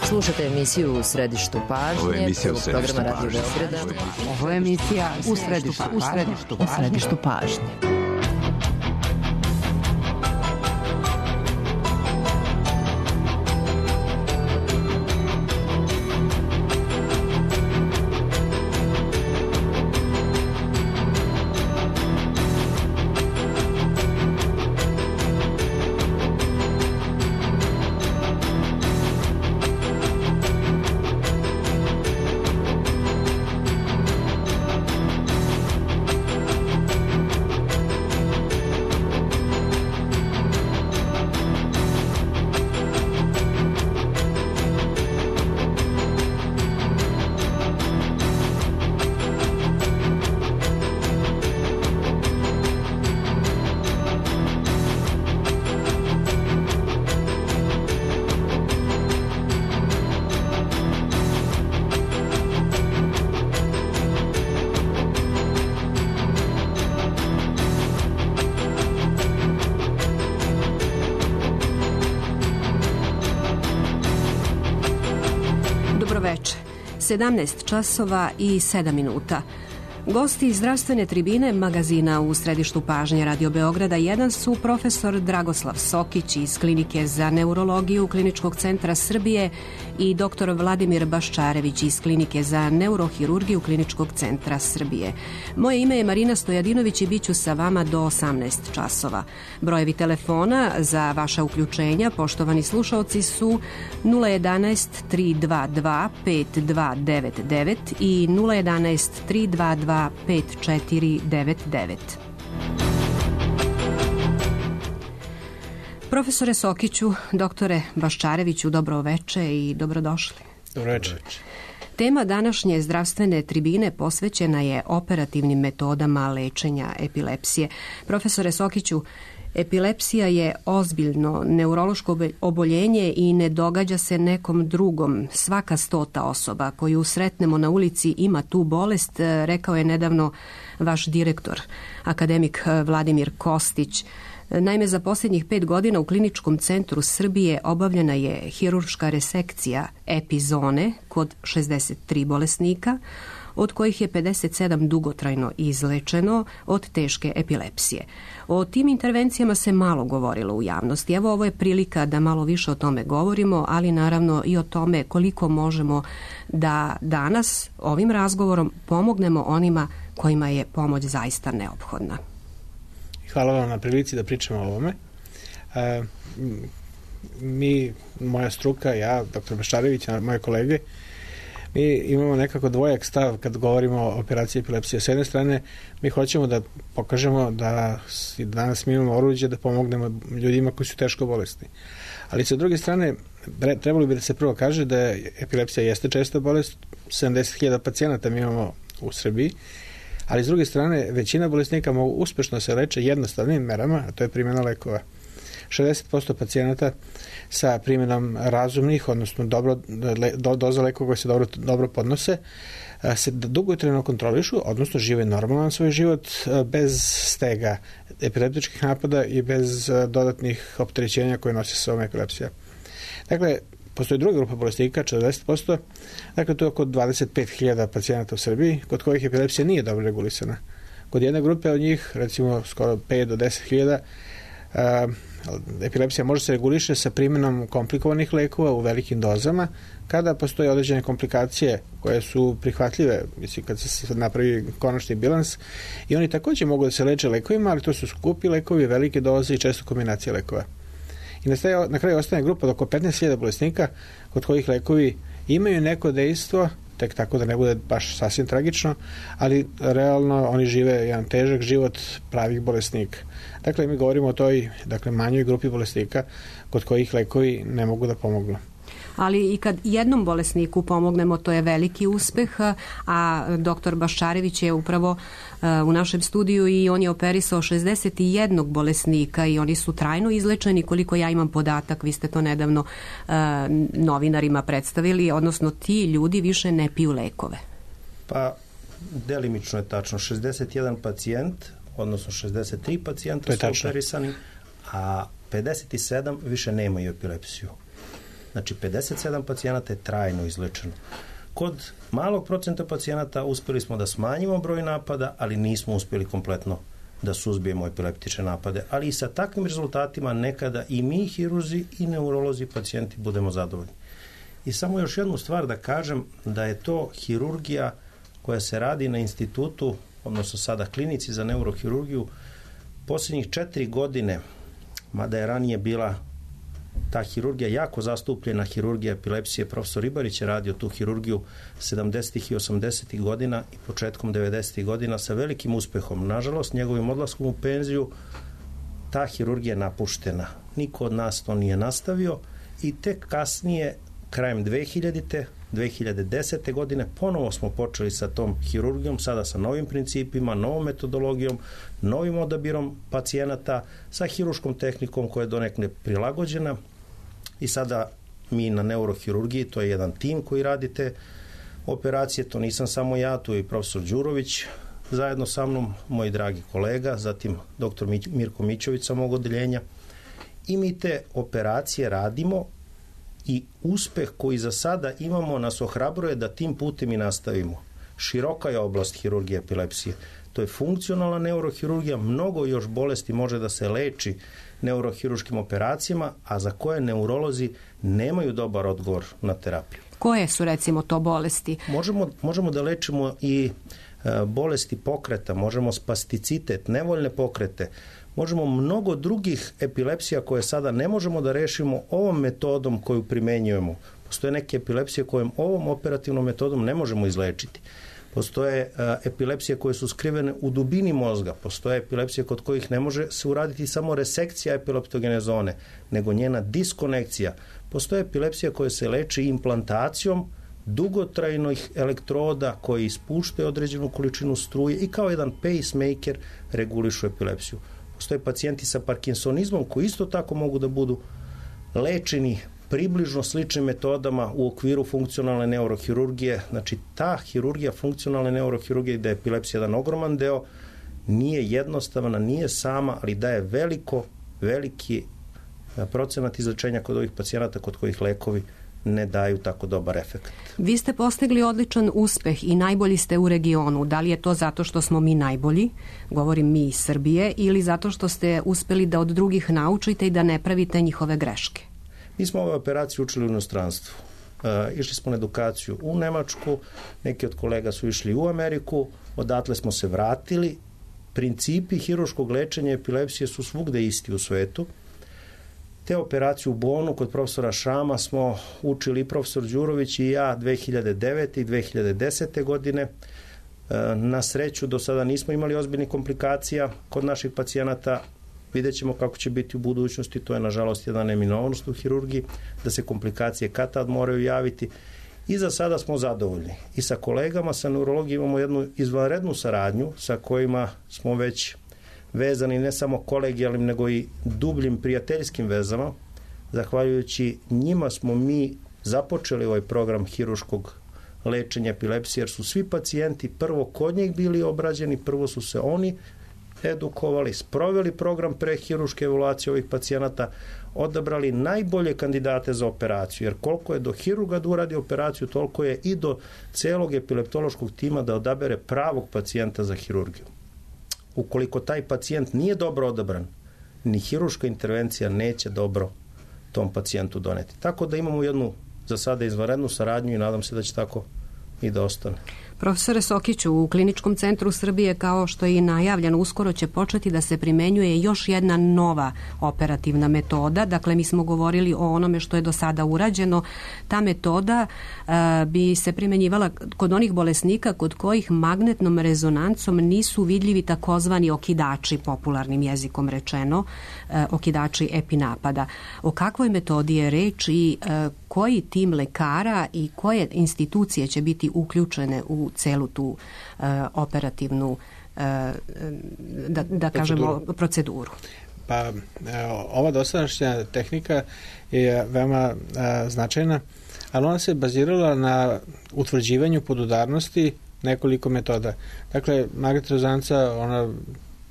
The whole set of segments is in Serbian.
Slušate emisiju U središtu pažnje, prvog programa Radio Beograda. Ovo je emisija U središtu pažnje. Veče, 17 časova i 7 minuta. Gosti zdravstvene tribine magazina U središtu pažnje Radio Beograda 1 su profesor Dragoslav Sokić iz Klinike za neurologiju Kliničkog centra Srbije i dr. Vladimir Baščarević iz Klinike za neurohirurgiju Kliničkog centra Srbije. Moje ime je Marina Stojadinović i bit ću sa vama do 18 časova. Brojevi telefona za vaša uključenja, poštovani slušaoci, su 011 322 5299 i 011 322 5499. Profesore Sokiću, doktore Baščareviću, dobro veče i dobrodošli. Dobro veče. Tema današnje zdravstvene tribine posvećena je operativnim metodama lečenja epilepsije. Profesore Sokiću, epilepsija je ozbiljno neurološko oboljenje i ne događa se nekom drugom. Svaka 100. osoba koju sretnemo na ulici ima tu bolest, rekao je nedavno vaš direktor, akademik Vladimir Kostić. Naime, za posljednjih 5 godina u Kliničkom centru Srbije obavljena je hirurška resekcija epizone kod 63 bolesnika, od kojih je 57 dugotrajno izlečeno od teške epilepsije. O tim intervencijama se malo govorilo u javnosti. Evo, ovo je prilika da malo više o tome govorimo, ali naravno i o tome koliko možemo da danas ovim razgovorom pomognemo onima kojima je pomoć zaista neophodna. Hvala vam na prilici da pričamo o ovome. Moja struka, ja, dr. Baščarević, moje kolege, mi imamo nekako dvojak stav kad govorimo o operaciji epilepsije. S jedne strane, mi hoćemo da pokažemo da danas mi imamo oruđe da pomognemo ljudima koji su teško bolesni. Ali sa druge strane, trebalo bi da se prvo kaže da epilepsija jeste česta bolest, 70.000 pacijenata mi imamo u Srbiji, ali s druge strane, većina bolesnika mogu uspešno se leče jednostavnim merama, a to je primjena lekova. 60% pacijenata sa primjenom razumnih, odnosno doza lekova koje se dobro podnose, se dugotrajno kontrolišu, odnosno žive normalan svoj život bez stega epileptičkih napada i bez dodatnih opterećenja koje nosi sa ovom epilepsija. Dakle, postoji druga grupa bolesnika, 40%, dakle to je oko 25.000 pacijenata u Srbiji, kod kojih epilepsija nije dobro regulisana. Kod jedne grupe od njih, recimo skoro 5 do 10.000, epilepsija može se reguliše sa primjenom komplikovanih lekova u velikim dozama, kada postoje određene komplikacije koje su prihvatljive, mislim, kad se napravi konačni bilans, i oni također mogu da se leče lekovima, ali to su skupi lekovi, velike doze i često kombinacije lekova. I na kraju ostane grupa od oko 15.000 bolesnika kod kojih lekovi imaju neko dejstvo, tek tako da ne bude baš sasvim tragično, ali realno oni žive jedan težak život pravih bolesnika. Dakle, mi govorimo o toj manjoj grupi bolesnika kod kojih lekovi ne mogu da pomognu. Ali i kad jednom bolesniku pomognemo, to je veliki uspeh, a doktor Baščarević je upravo u našem studiju i on je operisao 61 bolesnika i oni su trajno izlečeni. Koliko ja imam podatak, vi ste to nedavno novinarima predstavili, odnosno ti ljudi više ne piju lekove. Pa, delimično je tačno. 61 pacijent, odnosno 63 pacijenta su operisani, a 57 više nemaju epilepsiju. Znači 57 pacijenata je trajno izlečeno. Kod malog procenta pacijenata uspjeli smo da smanjimo broj napada, ali nismo uspjeli kompletno da suzbijemo epileptične napade. Ali i sa takvim rezultatima nekada i mi, hirurzi i neurolozi, pacijenti budemo zadovoljni. I samo još jednu stvar da kažem, da je to hirurgija koja se radi na institutu, odnosno sada klinici za neurohirurgiju, posljednjih 4 godine, mada je ranije bila ta hirurgija jako zastupljena, hirurgija epilepsije, profesor Ribarić je radio tu hirurgiju 70. i 80. godina i početkom 90. godina sa velikim uspehom. Nažalost, njegovim odlaskom u penziju ta hirurgija je napuštena. Niko od nas to nije nastavio i tek kasnije, krajem 2010. godine, ponovo smo počeli sa tom hirurgijom, sada sa novim principima, novom metodologijom, novim odabirom pacijenata, sa hiruškom tehnikom koja je donekle prilagođena i sada mi na neurohirurgiji, to je jedan tim koji radite operacije, to nisam samo ja, tu je i profesor Đurović, zajedno sa mnom, moj dragi kolega, zatim dr. Mirko Mićović sa mog odeljenja, i mi te operacije radimo i uspeh koji za sada imamo nas ohrabruje da tim putem i nastavimo. Široka je oblast hirurgije epilepsije. To je funkcionalna neurohirurgija, mnogo još bolesti može da se leči neurohiruškim operacijama, a za koje neurolozi nemaju dobar odgovor na terapiju. Koje su recimo to bolesti? Možemo da lečimo i bolesti pokreta, možemo spasticitet, nevoljne pokrete, možemo mnogo drugih epilepsija koje sada ne možemo da rešimo ovom metodom koju primenjujemo. Postoje neke epilepsije kojom ovom operativnom metodom ne možemo izlečiti. Postoje epilepsije koje su skrivene u dubini mozga, postoje epilepsije kod kojih ne može se uraditi samo resekcija epileptogene zone, nego njena diskonekcija. Postoje epilepsija koje se leči implantacijom dugotrajnih elektroda koji ispuštaju određenu količinu struje i kao jedan pacemaker regulišu epilepsiju. Postoje pacijenti sa parkinsonizmom koji isto tako mogu da budu lečeni približno sličnim metodama u okviru funkcionalne neurohirurgije. Znači, ta hirurgija funkcionalne neurohirurgije, da je epilepsija jedan ogroman deo, nije jednostavna, nije sama, ali daje veliki procenat izlečenja kod ovih pacijenata kod kojih lekovi ne daju tako dobar efekt. Vi ste postigli odličan uspeh i najbolji ste u regionu. Da li je to zato što smo mi najbolji, govorim mi iz Srbije, ili zato što ste uspeli da od drugih naučite i da ne pravite njihove greške? Mi smo ove operacije učili u inostranstvu. Išli smo na edukaciju u Nemačku, neki od kolega su išli u Ameriku, odatle smo se vratili. Principi hiruškog lečenja epilepsije su svugde isti u svetu. Te operacije u Bonu kod profesora Šama smo učili i profesor Đurović i ja 2009. i 2010. godine. Na sreću do sada nismo imali ozbiljnih komplikacija kod naših pacijenata. Vidjet ćemo kako će biti u budućnosti, to je nažalost jedna neminovnost u hirurgiji, da se komplikacije kad tad moraju javiti. I za sada smo zadovoljni. I sa kolegama, sa neurologijom imamo jednu izvanrednu saradnju sa kojima smo već vezani ne samo kolegijalnim, nego i dubljim prijateljskim vezama. Zahvaljujući njima smo mi započeli ovaj program hiruškog lečenja epilepsije, jer su svi pacijenti prvo kod njih bili obrađeni, prvo su se oni edukovali, sproveli program prehiruške evaluacije ovih pacijenata, odabrali najbolje kandidate za operaciju, jer koliko je do hirurga da uradi operaciju, toliko je i do celog epileptološkog tima da odabere pravog pacijenta za hirurgiju. Ukoliko taj pacijent nije dobro odabran, ni hiruška intervencija neće dobro tom pacijentu doneti. Tako da imamo jednu za sada izvanrednu saradnju i nadam se da će tako i da ostane. Profesore Sokiću, u Kliničkom centru Srbije, kao što je i najavljeno, uskoro će početi da se primenjuje još jedna nova operativna metoda. Dakle, mi smo govorili o onome što je do sada urađeno. Ta metoda bi se primenjivala kod onih bolesnika kod kojih magnetnom rezonancom nisu vidljivi takozvani okidači, popularnim jezikom rečeno, okidači epinapada. O kakvoj metodi je reč i koji tim lekara i koje institucije će biti uključene u celu tu operativnu da kažemo proceduru? Pa ova dosadašnja tehnika je veoma značajna, ali ona se bazirala na utvrđivanju podudarnosti nekoliko metoda. Dakle, magnetna rezonanca, ona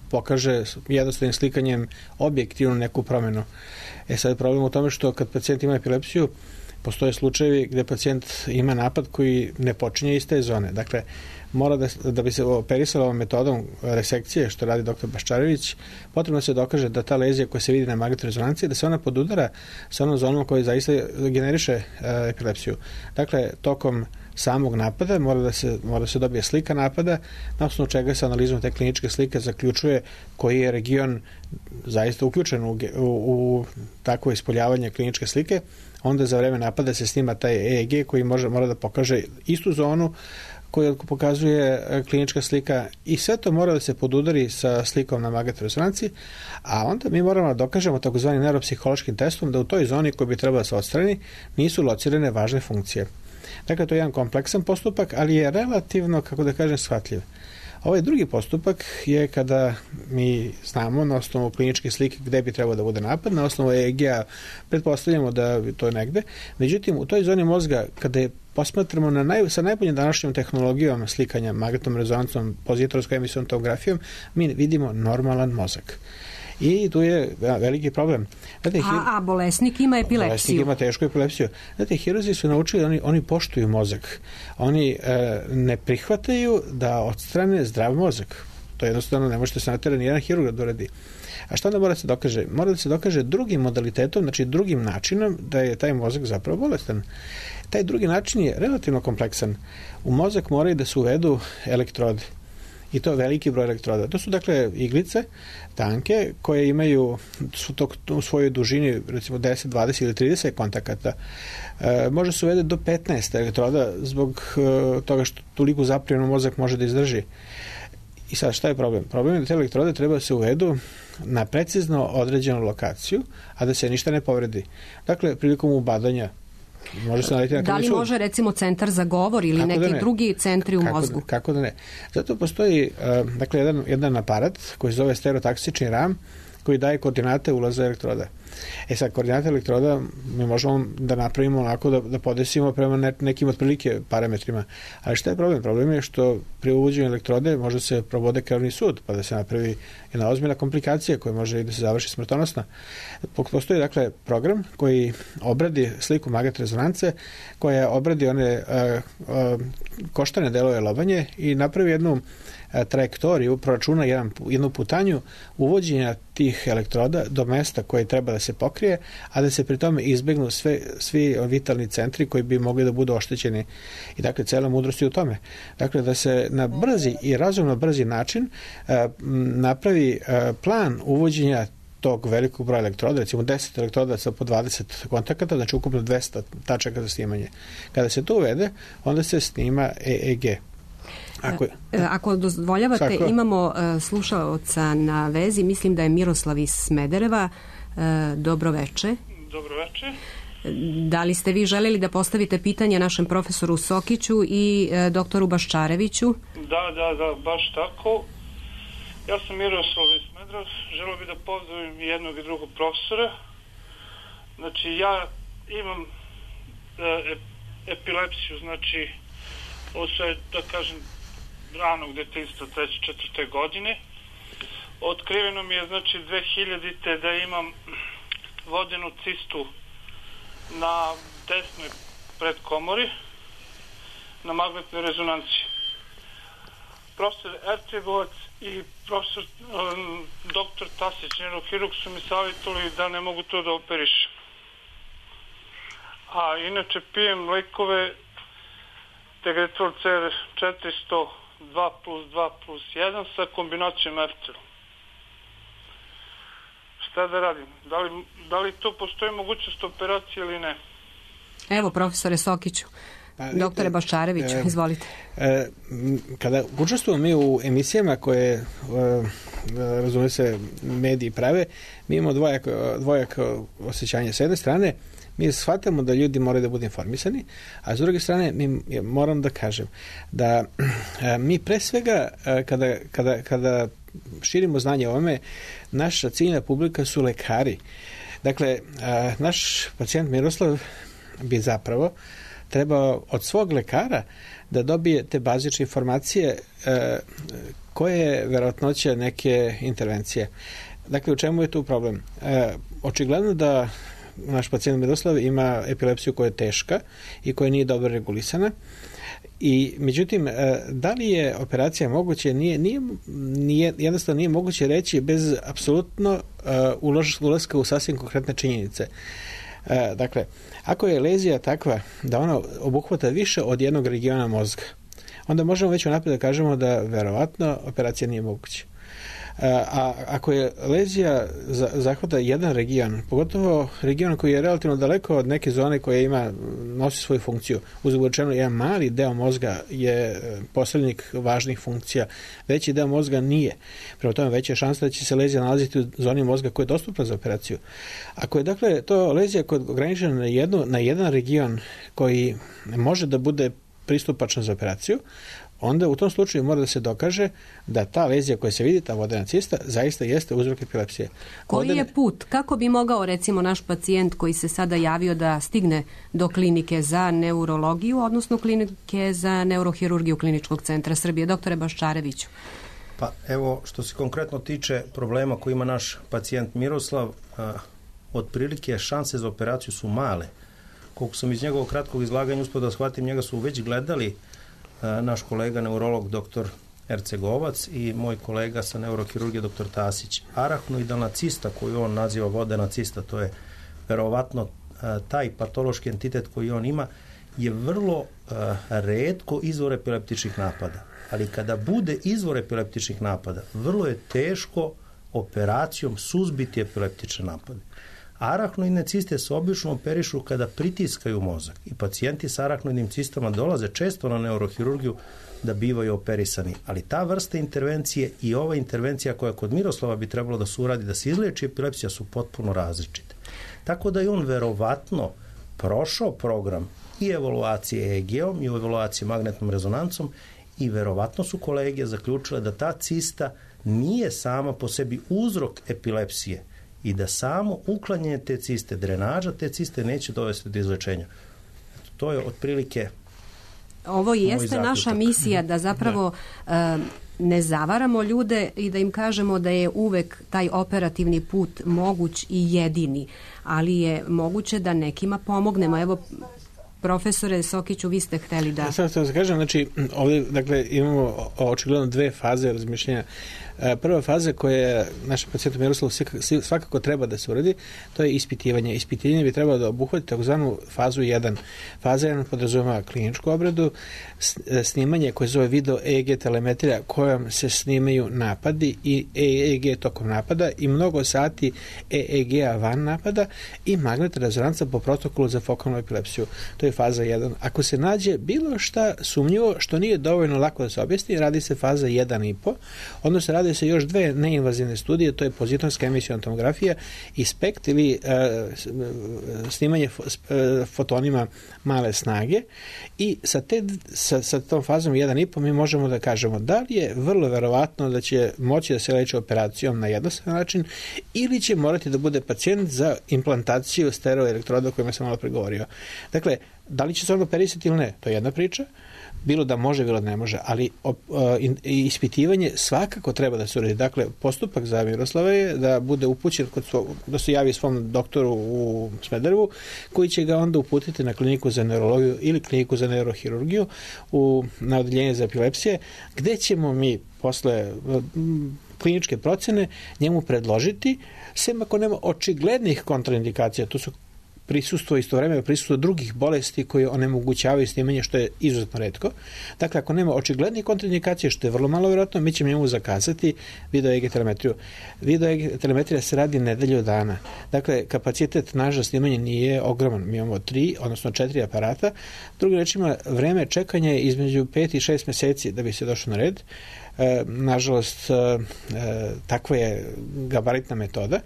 pokaže jednostavnim slikanjem objektivno neku promjenu. Sad je problem u tome što kad pacijent ima epilepsiju, postoje slučajevi gde pacijent ima napad koji ne počinje iz te zone. Dakle, mora da bi se operisala ovom metodom resekcije, što radi dr. Baščarević, potrebno se dokaže da ta lezija koja se vidi na magnetnoj rezonanciji, da se ona podudara sa onom zonom koja zaista generiše epilepsiju. Dakle, tokom samog napada mora da se dobije slika napada, na osnovu čega se analizom te kliničke slike zaključuje koji je region zaista uključen u takvo ispoljavanje kliničke slike. Onda za vreme napada se snima taj EEG koji mora da pokaže istu zonu koju pokazuje klinička slika i sve to mora da se podudari sa slikom na magnetnoj rezonanci, a onda mi moramo da dokažemo takozvanim neuropsihološkim testom da u toj zoni koja bi trebala da se odstrani nisu locirane važne funkcije. Dakle, to je jedan kompleksan postupak, ali je relativno, kako da kažem, shvatljiv. Ovaj drugi postupak je kada mi znamo na osnovu kliničke slike gde bi trebao da bude napad, na osnovu EEG-a pretpostavljamo da to je negde. Međutim, u toj zoni mozga, kada je posmatramo sa najboljom današnjom tehnologijom slikanja magnetnom rezonancom, pozitorskom emisijom tomografijom, mi vidimo normalan mozak. I tu je veliki problem. Znate, a bolesnik ima epilepsiju. Bolesnik ima tešku epilepsiju. Znate, hirurzi su naučili, oni poštuju mozak. Oni ne prihvataju da odstrane zdrav mozak. To jednostavno ne možete se natjerati nijedan hirurg da uradi. A šta onda mora da se dokaže? Mora da se dokaže drugim modalitetom, znači drugim načinom da je taj mozak zapravo bolestan. Taj drugi način je relativno kompleksan. U mozak moraju da se uvedu elektrode. I to veliki broj elektroda. To su dakle iglice, tanke, koje imaju u svojoj dužini recimo 10, 20 ili 30 kontakata. Može se uvede do 15 elektroda zbog toga što toliko zaprijeno mozak može da izdrži. I sad šta je problem? Problem je da te elektrode treba da se uvedu na precizno određenu lokaciju, a da se ništa ne povredi. Dakle, prilikom ubadanja može se naletiti na krvni sud. Da li može recimo centar za govor ili neki drugi centri u mozgu? Kako da ne? Zato postoji dakle, jedan aparat koji se zove stereotaksični ram koji daje koordinate ulaza elektroda. Sad, koordinate elektroda mi možemo da napravimo onako da podesimo prema nekim otprilike parametrima. Ali šta je problem? Problem je što pri uvođenju elektrode može se probode krvni sud, pa da se napravi jedna ozbiljna komplikacija koja može i da se završi smrtonosna. Postoji, dakle, program koji obradi sliku magnetne rezonance, koja obradi one koštane delove lobanje i napravi jednu trajektoriju, proračuna jednu putanju uvođenja tih elektroda do mesta koje treba da se pokrije, a da se pri tome izbegnu svi vitalni centri koji bi mogli da budu oštećeni. I dakle, cela mudrost je u tome. Dakle, da se na brzi i razumno brzi način napravi plan uvođenja tog velikog broja elektroda, recimo 10 elektroda sa po 20 kontakata, znači ukupno 200 tačaka za snimanje. Kada se to uvede, onda se snima EEG. Ako dozvoljavate, imamo slušaoca na vezi, mislim da je Miroslav iz Smedereva. Dobro veče. Dobro veče. Da li ste vi želeli da postavite pitanje našem profesoru Sokiću i doktoru Baščareviću? Da, baš tako. Ja sam Miroslav iz Smedereva, želeo bih da pozdravim jednog i drugog profesora. Znači, ja imam epilepsiju, znači, ovo sve, da kažem, ranog detinjstva, 3-4 godine. Otkriveno mi je, znači, 2000-te da imam vodenu cistu na desnoj predkomori, na magnetnoj rezonanci. Profesor Ercegovac i profesor doktor Tasić, neurohirurg, su mi savjetovali da ne mogu to da operišem. A inače pijem lekove Tegretol CR 400 2+2+1 sa kombinacijom Ercel. Šta da radim? Da li to postoji mogućnost operacije ili ne? Evo, profesore Sokiću. Doktore Baščarević, izvolite. Kada učestvujemo mi u emisijama koje razume se mediji prave, mi imamo dvojako osjećanje. S jedne strane, mi shvatamo da ljudi moraju da budu informisani, a s druge strane moram da kažem da mi pre svega kada širimo znanje o ovome, naša ciljna publika su lekari. Dakle, naš pacijent Miroslav bi zapravo trebao od svog lekara da dobije te bazične informacije koje je verovatnoća neke intervencije. Dakle, u čemu je tu problem? Očigledno da naš pacijent Miroslav ima epilepsiju koja je teška i koja nije dobro regulisana. I međutim, da li je operacija moguće, jednostavno nije moguće reći bez apsolutno ulaska u sasvim konkretne činjenice. Dakle, ako je lezija takva da ona obuhvata više od jednog regiona mozga, onda možemo već unaprijed da kažemo da verovatno operacija nije moguća. A ako je lezija zahvata jedan region, pogotovo region koji je relativno daleko od neke zone koja nosi svoju funkciju, uzgled rečeno jedan mali deo mozga je posrednik važnih funkcija, veći deo mozga nije. Prema tome veća je šansa da će se lezija nalaziti u zoni mozga koja je dostupna za operaciju. Ako je dakle to lezija koja je ograničena na jedan region koji može da bude pristupačan za operaciju, onda u tom slučaju mora da se dokaže da ta lezija koja se vidi, ta vodena cista, zaista jeste uzrok epilepsije. Koji je put? Kako bi mogao, recimo, naš pacijent koji se sada javio da stigne do klinike za neurologiju, odnosno klinike za neurohirurgiju Kliničkog centra Srbije? Doktore Baščareviću. Pa evo, što se konkretno tiče problema koji ima naš pacijent Miroslav, otprilike šanse za operaciju su male. Koliko sam iz njegovog kratkog izlaganja uspio da shvatim, njega su već gledali naš kolega neurolog dr. Ercegovac i moj kolega sa neurohirurgije dr. Tasić. Arahnoidalna cista koju on naziva vodena cista, to je verovatno taj patološki entitet koji on ima, je vrlo retko izvor epileptičnih napada. Ali kada bude izvor epileptičnih napada, vrlo je teško operacijom suzbiti epileptične napade. Arahnoidne ciste se obično operišu kada pritiskaju mozak i pacijenti sa arahnoidnim cistama dolaze često na neurohirurgiju da bivaju operisani. Ali ta vrsta intervencije i ova intervencija koja kod Miroslava bi trebalo da se uradi da se izleči epilepsija su potpuno različite. Tako da je on verovatno prošao program i evaluacije EEG-om i evaluacije magnetnom rezonancom i verovatno su kolege zaključile da ta cista nije sama po sebi uzrok epilepsije i da samo uklanjanje te ciste, drenaža te ciste neće dovesti do izlečenja. To je otprilike ovo jeste naša misija da zapravo ne zavaramo ljude i da im kažemo da je uvek taj operativni put moguć i jedini, ali je moguće da nekima pomognemo. Evo, profesore Sokiću, vi ste hteli da... Samo da kažem, znači, ovdje, dakle, imamo očigledno dve faze razmišljenja. Prva faza koja našem pacijentu Miroslavu svakako treba da se uradi, to je ispitivanje. Ispitivanje bi trebalo da obuhvati takozvanu fazu 1. Faza 1 podrazumeva kliničku obradu, snimanje koje zove video EEG telemetrija kojom se snimaju napadi i EEG tokom napada i mnogo sati EEG-a van napada i magnetna rezonanca po protokolu za fokalnu epilepsiju. To je faza 1. Ako se nađe bilo šta sumnjivo što nije dovoljno lako da se objasni, radi se faza 1,5, odnosno radi se još dve neinvazivne studije, to je pozitonska emisiona tomografija i SPECT ili snimanje fotonima male snage i sa tom fazom 1,5 mi možemo da kažemo da li je vrlo verovatno da će moći da se leči operacijom na jednostavan način ili će morati da bude pacijent za implantaciju stereoelektroda o kojima sam malo pregovorio. Dakle, da li će se on operisati ili ne, to je jedna priča, bilo da može, bilo da ne može, ali ispitivanje svakako treba da se uredi. Dakle, postupak za Miroslava je da bude upućen, da se javi svom doktoru u Smederevu, koji će ga onda uputiti na kliniku za neurologiju ili kliniku za neurohirurgiju na odeljenje za epilepsije, gde ćemo mi posle kliničke procene njemu predložiti, sem ako nema očiglednih kontraindikacija, to su istovremeno prisustvo drugih bolesti koje onemogućavaju snimanje, što je izuzetno retko. Dakle, ako nema očiglednih kontraindikacija, što je vrlo malo vjerojatno, mi ćemo njemu zakazati video EEG telemetriju. Video EEG telemetrija se radi nedelju dana. Dakle, kapacitet naš za snimanje nije ogroman. Mi imamo 3, odnosno 4 aparata. Drugim rečima, vreme čekanja je između 5 i 6 meseci da bi se došlo na red. Nažalost, takva je gabaritna metoda.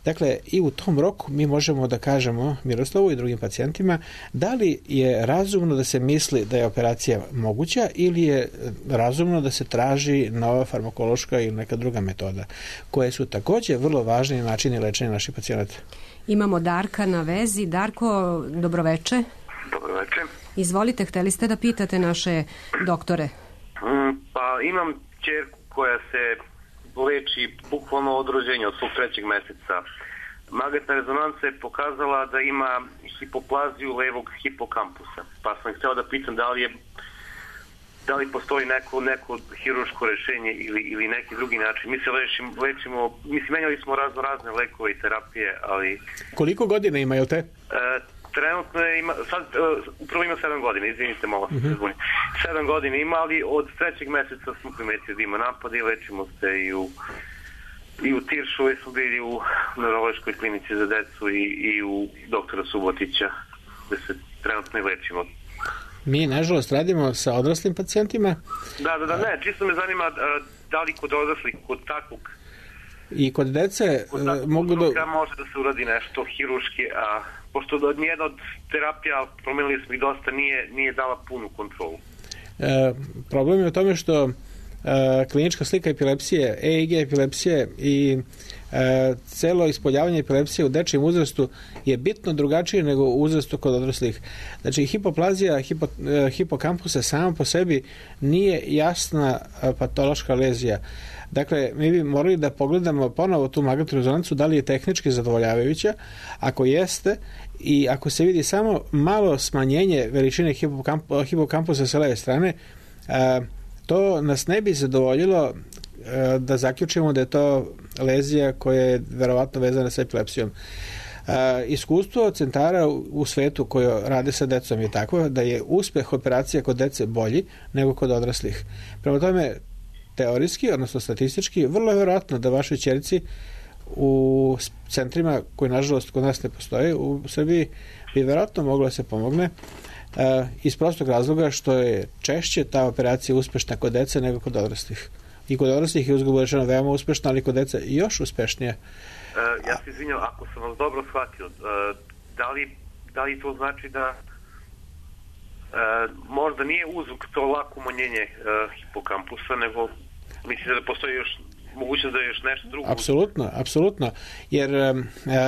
Dakle, i u tom roku mi možemo da kažemo Miroslavu i drugim pacijentima da li je razumno da se misli da je operacija moguća ili je razumno da se traži nova farmakološka ili neka druga metoda, koje su također vrlo važni načini lečenja naših pacijenata. Imamo Darka na vezi. Darko, dobroveče. Dobroveče. Izvolite, hteli ste da pitate naše doktore? Pa imam ćerku koja se leči bukvalno od rođenja, od svog 3. meseca magnetna rezonanca je pokazala da ima hipoplaziju levog hipokampusa. Pa sam hteo da pitam da li postoji neko hirurško rešenje ili neki drugi način. Mi se lečimo, menjali smo razne lekove i terapije, ali... Koliko godina ima, jel te? Trenutno ima, upravo ima 7 godina, izvinite malo, 7 godina ima, ali od 3. meseca smo primetili da ima napade i lečimo se i u Tiršovoj smo bili u neurološkoj klinici za decu i u doktora Subotića, gde se trenutno i lečimo. Mi, nažalost, radimo sa odraslim pacijentima. Ne, čisto me zanima da li kod odraslih, kod takvog i kod dece mogu da... može da se uradi nešto hiruški, a pošto nijedna od terapija, promenili smo ih dosta, nije dala punu kontrolu. Problem je u tome što klinička slika epilepsije, EEG epilepsije i celo ispoljavanje epilepsije u dečijem uzrastu je bitno drugačije nego u uzrastu kod odraslih. Znači, hipoplazija hipokampusa sama po sebi nije jasna patološka lezija. Dakle, mi bi morali da pogledamo ponovo tu magnetnu rezonancu, da li je tehnički zadovoljavajuća. Ako jeste i ako se vidi samo malo smanjenje veličine hipokampusa sa leve strane, to nas ne bi zadovoljilo da zaključimo da je to lezija koja je verovatno vezana sa epilepsijom. Iskustvo centara u svetu koje rade sa decom je takvo da je uspeh operacija kod dece bolji nego kod odraslih. Prema tome, teorijski, odnosno statistički, vrlo je verovatno da vašoj ćerici u centrima koji nažalost kod nas ne postoje u Srbiji bi verovatno moglo da se pomogne iz prostog razloga što je češće ta operacija uspešna kod dece nego kod odraslih. I kod odraslih je uzgled rečeno veoma uspešna, ali kod dece još uspešnije. Ja se izvinjam, ako sam vas dobro shvatio, da li to znači da možda nije uzrok to lako umanjenje hipokampusa, nego mislite da postoji još mogućnost da je još nešto drugo? Apsolutno. Jer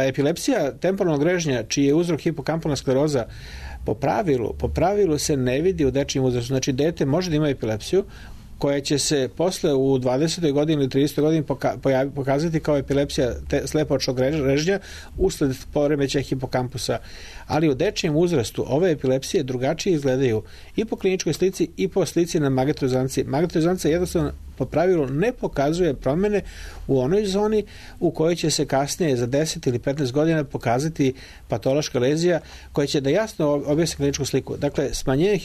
epilepsija temporalnog režnja, čiji je uzrok hipokampalna skleroza, po pravilu se ne vidi u dečijem uzrastu. Znači, dete može da ima epilepsiju koja će se posle u 20. godini ili 30. godini pokazati kao epilepsija slepočnog režnja usled poremećaja hipokampusa. Ali u dečijem uzrastu ove epilepsije drugačije izgledaju i po kliničkoj slici i po slici na magnetnoj rezonanci. Magnetna rezonanca jednostavno po pravilu ne pokazuje promene u onoj zoni u kojoj će se kasnije za 10 ili 15 godina pokazati patološka lezija koja će da jasno objasni kliničku sliku. Dakle, smanjenje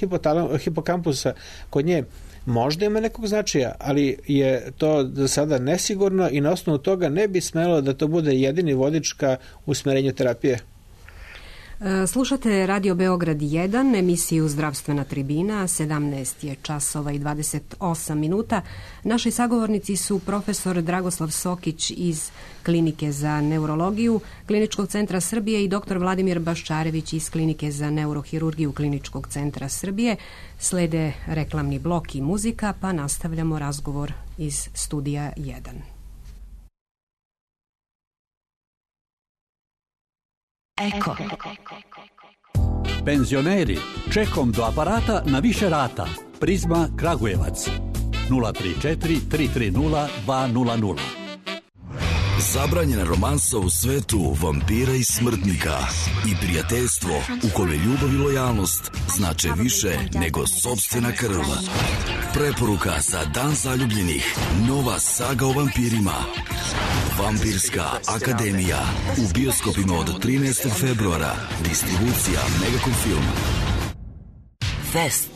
hipokampusa kod nje možda ima nekog značaja, ali je to za sada nesigurno i na osnovu toga ne bi smelo da to bude jedini vodič ka usmerenju terapije. Slušate Radio Beograd 1, emisiju Zdravstvena tribina, 17 je časova i 28 minuta. Naši sagovornici su profesor Dragoslav Sokić iz Klinike za neurologiju Kliničkog centra Srbije i dr. Vladimir Baščarević iz Klinike za neurohirurgiju Kliničkog centra Srbije. Slede reklamni blok i muzika, pa nastavljamo razgovor iz studija 1. Eko. Penzioneri, čekom do aparata na više rata. Prizma Kragujevac 034 330 200. Zabranjena romansa u svetu vampira i smrtnika i prijateljstvo u kome ljubav i lojalnost znače više nego sopstvena krv. Preporuka za Dan zaljubljenih. Nova saga o vampirima. Vampirska akademija. U bioskopima od 13. februara. Distribucija Megacom Film. Fest.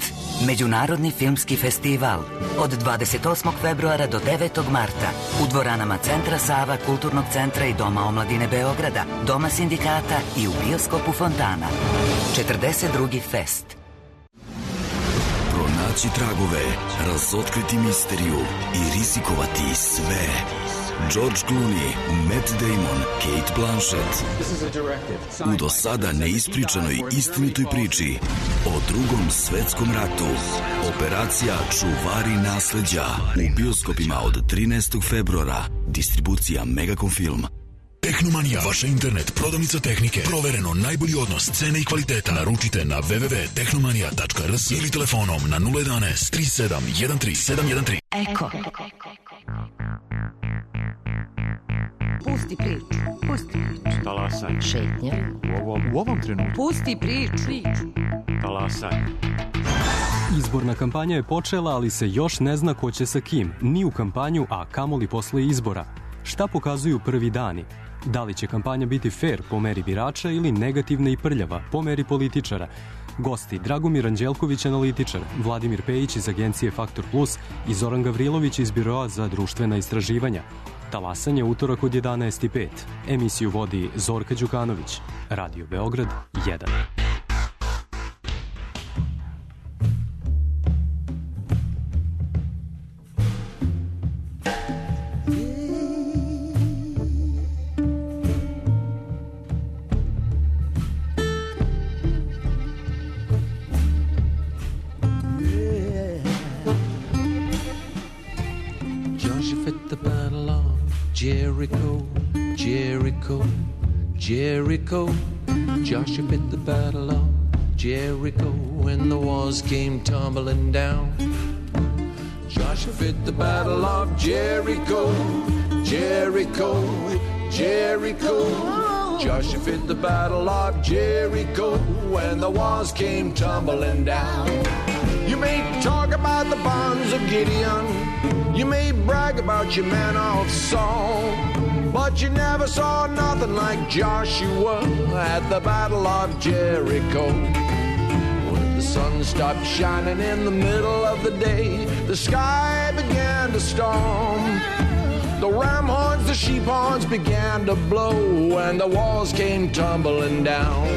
Međunarodni filmski festival. Od 28. februara do 9. marta. U dvoranama Centra Sava, Kulturnog centra i Doma omladine Beograda, Doma sindikata i u bioskopu Fontana. 42. fest. Pronaći tragove, razotkriti misteriju i rizikovati sve. George Clooney, Matt Damon, Kate Blanchett. U do sada neispričanoj istinitoj priči o Drugom svetskom ratu. Operacija Čuvari nasleđa. U bioskopima od 13. februara. Distribucija Megacom Film. Tehnomanija, vaša internet prodavnica tehnike. Provereno najbolji odnos cene i kvaliteta. Naručite na www.tehnomanija.rs ili telefonom na 011 37 13 713. Eko. Pusti priču. Šetnja. U ovom trenutku. Pusti priču. Talasaj. Izborna kampanja je počela, ali se još ne zna ko će sa kim, ni u kampanju, a kamoli posle izbora. Šta pokazuju prvi dani? Da li će kampanja biti fair po meri birača ili negativna i prljava po meri političara? Gosti Dragomir Anđelković, analitičar, Vladimir Pejić iz agencije Faktor Plus i Zoran Gavrilović iz Biroa za društvena istraživanja. Talasanje utorak od 11:05. Emisiju vodi Zorka Đukanović. Radio Beograd 1. Jericho, Jericho, Jericho. Joshua fit the battle of Jericho when the walls came tumbling down. Joshua fit the battle of Jericho, Jericho, Jericho. Joshua fit the battle of Jericho when the walls came tumbling down. You may talk about the bonds of Gideon, you may brag about your man of Saul, but you never saw nothing like Joshua at the Battle of Jericho. When the sun stopped shining in the middle of the day, the sky began to storm. The ram horns, the sheep horns began to blow, and the walls came tumbling down.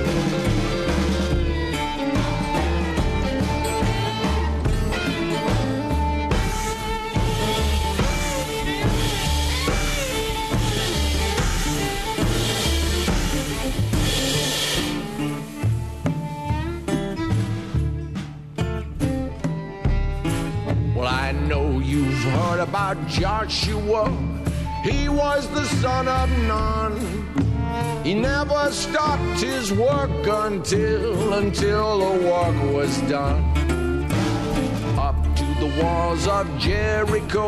I know you've heard about Joshua. He was the son of Nun. He never stopped his work until the work was done. Up to the walls of Jericho,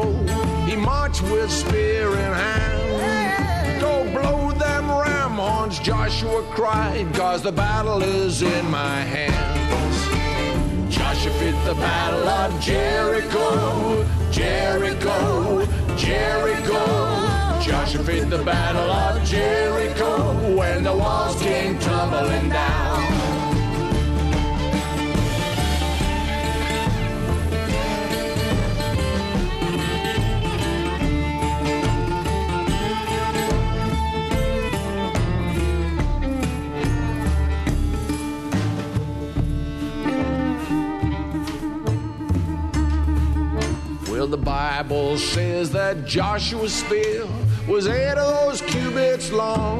he marched with spear in hand. Go blow them ram horns, Joshua cried, 'cause the battle is in my hands. Joshua fit the battle of Jericho, Jericho, Jericho. Joshua fit the battle of Jericho when the walls came tumbling down. The Bible says that Joshua's spear was 8 of those cubits long,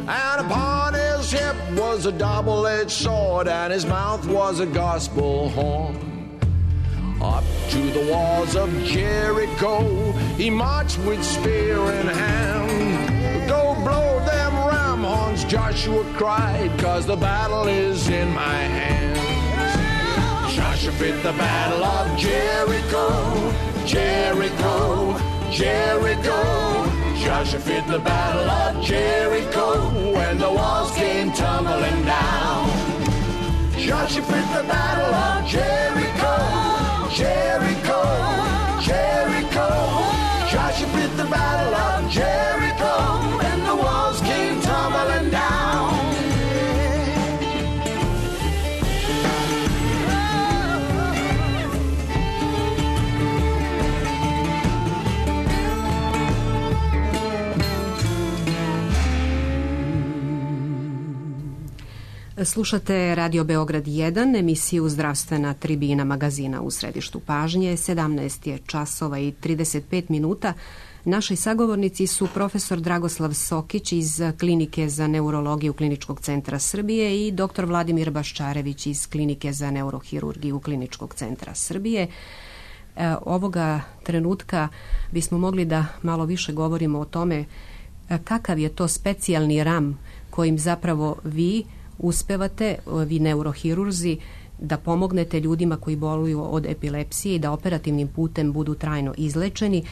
and upon his hip was a double-edged sword, and his mouth was a gospel horn. Up to the walls of Jericho he marched with spear in hand. Go blow them ram horns, Joshua cried, 'cause the battle is in my hands. Joshua fit the battle of Jericho, Jericho, Jericho. Joshua fit the battle of Jericho when the walls came tumbling down. Joshua fit the battle of Jericho, Jericho, Jericho. Joshua fit the battle of Jericho when the walls came tumbling down. Slušate Radio Beograd 1, emisiju Zdravstvena tribina magazina u središtu pažnje. 17 je časova i 35 minuta. Naši sagovornici su profesor Dragoslav Sokić iz Klinike za neurologiju Kliničkog centra Srbije i dr. Vladimir Baščarević iz Klinike za neurohirurgiju Kliničkog centra Srbije. Ovoga trenutka bismo mogli da malo više govorimo o tome kakav je to specijalni RAM kojim zapravo vi uspevate, vi neurohirurzi, da pomognete ljudima koji boluju od epilepsije i da operativnim putem budu trajno izlečeni.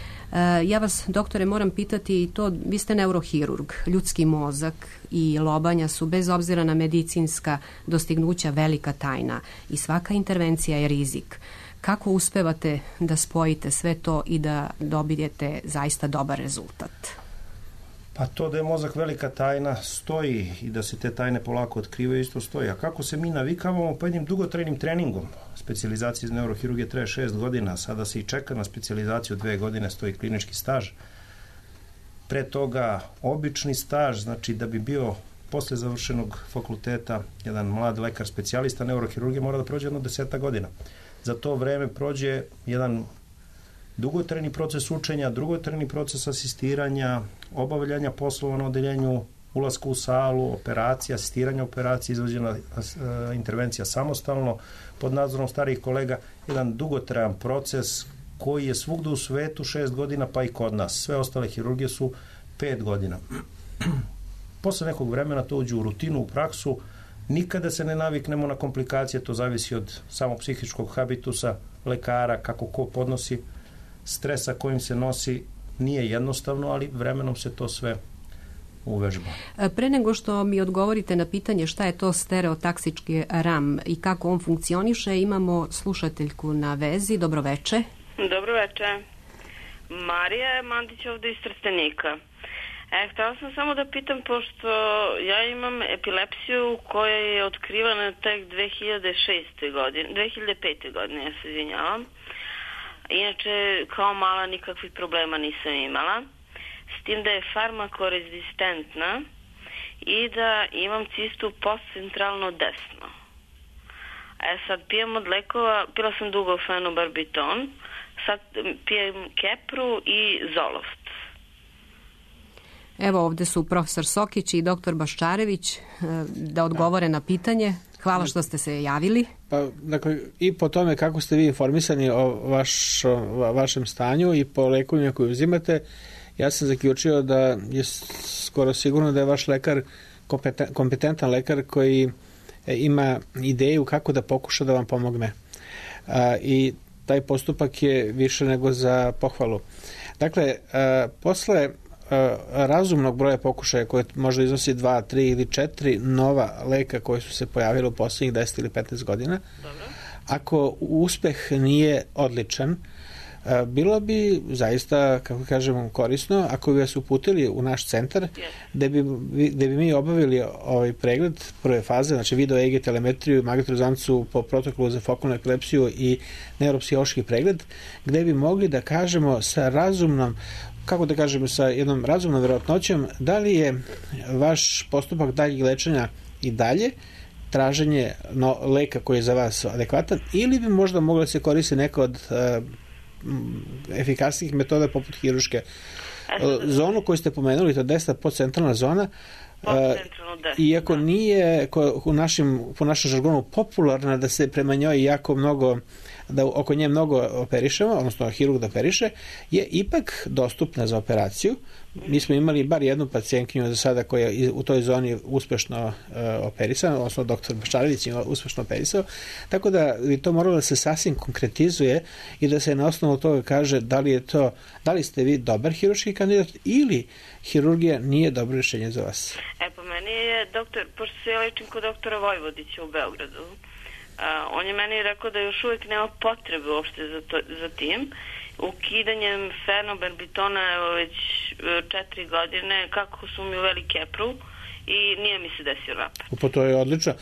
Ja vas, doktore, moram pitati i to, vi ste neurohirurg, ljudski mozak i lobanja su bez obzira na medicinska dostignuća velika tajna i svaka intervencija je rizik. Kako uspevate da spojite sve to i da dobijete zaista dobar rezultat? Pa to da je mozak velika tajna stoji i da se te tajne polako otkrivaju isto stoji. A kako se mi navikavamo? Pa jednim dugotrajnim treningom. Specijalizacija iz neurohirurgije traje 6 godina, sada se i čeka na specijalizaciju 2 godine, stoji klinički staž. Pre toga obični staž, znači da bi bio posle završenog fakulteta jedan mlad lekar specijalista neurohirurgije mora da prođe jedno 10 godina. Za to vreme prođe jedan dugotrajni proces učenja, dugotrajni proces asistiranja, obavljanja poslova na odeljenju, ulaska u salu, operacija, asistiranja operacije, izvođena intervencija samostalno, pod nadzorom starijih kolega, jedan dugotrajan proces koji je svugde u svetu 6 godina, pa i kod nas. Sve ostale hirurgije su 5 godina. Posle nekog vremena to uđe u rutinu, u praksu, nikada se ne naviknemo na komplikacije, to zavisi od samog psihičkog habitusa, lekara, kako ko podnosi stresa kojim se nosi, nije jednostavno, ali vremenom se to sve uvežba. Pre nego što mi odgovorite na pitanje šta je to stereotaksički RAM i kako on funkcioniše, imamo slušateljku na vezi. Dobroveče. Dobroveče. Marija Mandić ovde iz Trstenika. Htela sam samo da pitam, pošto ja imam epilepsiju koja je otkrivana tek 2005. godine, ja se izvinjavam. Inače, kao mala nikakvih problema nisam imala. S tim da je farmakorezistentna i da imam cistu postcentralno desno. Sad pijem od lekova, pila sam dugo fenobarbiton, sad pijem Kepru i Zoloft. Evo ovde su profesor Sokić i doktor Baščarević da odgovore na pitanje. Hvala što ste se javili. Pa, dakle, i po tome kako ste vi informisani o vašem stanju i po lekovima koje uzimate, ja sam zaključio da je skoro sigurno da je vaš lekar kompetentan lekar koji ima ideju kako da pokuša da vam pomogne. I taj postupak je više nego za pohvalu. Dakle, posle razumnog broja pokušaja koje možda iznosi 2, 3 ili 4 nova leka koje su se pojavile u poslednjih 10 ili 15 godina. Dobro. Ako uspeh nije odličan, bilo bi zaista, kako kažemo, korisno ako bi vas uputili u naš centar gde bi mi obavili ovaj pregled prve faze, znači video EEG telemetriju, magnetnu po protokolu za fokalnu epilepsiju i neuropsihološki pregled, gde bi mogli da kažemo sa razumnom, kako da kažemo, sa jednom razumnom verovatnoćom da li je vaš postupak daljeg lečenja i dalje traženje leka koji je za vas adekvatan ili bi možda mogla da se koristi neka od efikasnijih metoda poput hiruške. Zonu koju ste pomenuli, to je desna podcentralna zona, iako nije po našem žargonu popularna da se prema njoj jako mnogo, da oko nje mnogo operišemo, odnosno hirurg da operiše, je ipak dostupna za operaciju. Mi smo imali bar jednu pacijentkinju za sada koja je u toj zoni uspešno operisana, odnosno doktor Baščarević je uspešno operisao, tako da bi to moralo da se sasvim konkretizuje i da se na osnovu toga kaže da li ste vi dobar hirurški kandidat ili hirurgija nije dobro rješenje za vas. Pa meni je doktor, pošto se ja lečim kod doktora Vojvodića u Beogradu, on je meni rekao da još uvijek nema potrebe uopšte za tim. Ukidanjem fenobarbitona već 4 godine, kako su mi uveli Kepru i nije mi se desio rapid. Pa to je odlično.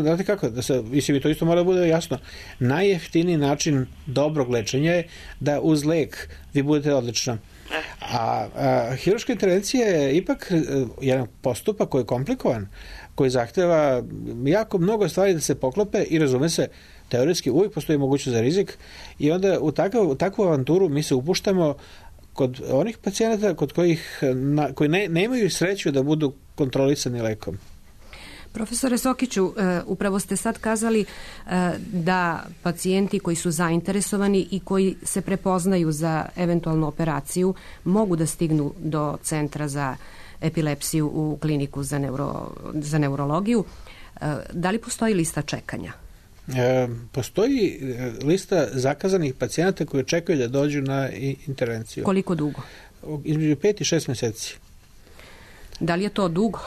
Znate kako, mislim, to isto mora da bude jasno. Najjeftiniji način dobrog lečenja je da uz lek vi budete odlično. A hirurška intervencija je ipak jedan postupak koji je komplikovan, koji zahteva jako mnogo stvari da se poklope i razume se, teoretski uvijek postoji mogućnost za rizik i onda u takvu avanturu mi se upuštamo kod onih pacijenata koji nemaju sreću da budu kontrolisani lekom. Profesore Sokiću, upravo ste sad kazali da pacijenti koji su zainteresovani i koji se prepoznaju za eventualnu operaciju mogu da stignu do centra za epilepsiju u kliniku za neurologiju. Da li postoji lista čekanja? Postoji lista zakazanih pacijenata koji čekaju da dođu na intervenciju. Koliko dugo? Između 5 i 6 meseci. Da li je to dugo?